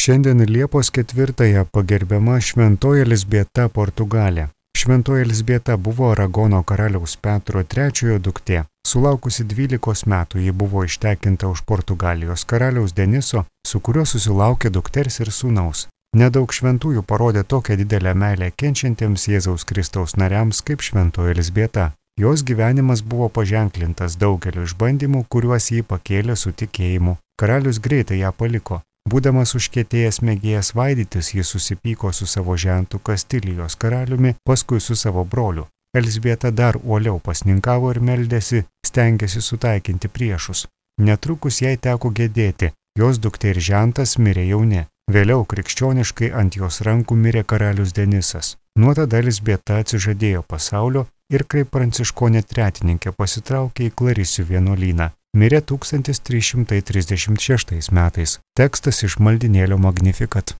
Šiandien Liepos 4-ąją pagerbiama Šventoji Elzbieta Portugalė. Šventoji Elzbieta buvo Aragono karaliaus Petro III duktė. Sulaukusi 12 metų ji buvo ištekinta už Portugalijos karaliaus Deniso, su kuriuo susilaukė dukters ir sūnaus. Nedaug šventųjų parodė tokią didelę meilę kenčiantiems Jėzaus Kristaus nariams kaip Šventoji Elzbieta. Jos gyvenimas buvo paženklintas daugeliu išbandymų, kuriuos jį pakėlė su tikėjimu. Karalius greitai ją paliko. Būdamas užkietėjęs mėgėjas vaidytis, jis susipyko su savo žentu Kastilijos karaliumi, paskui su savo broliu. Elzbieta dar uoliau pasninkavo ir meldėsi, stengėsi sutaikinti priešus. Netrukus jai teko gedėti, jos duktė ir žentas mirė jauni. Vėliau krikščioniškai ant jos rankų mirė karalius Denisas. Nuo tada Elzbieta atsižadėjo pasaulio ir kaip pranciškonė tretininkė pasitraukė į Klarisių vienuolyną. Mirė 1336 metais. Tekstas iš maldynėlio Magnificat.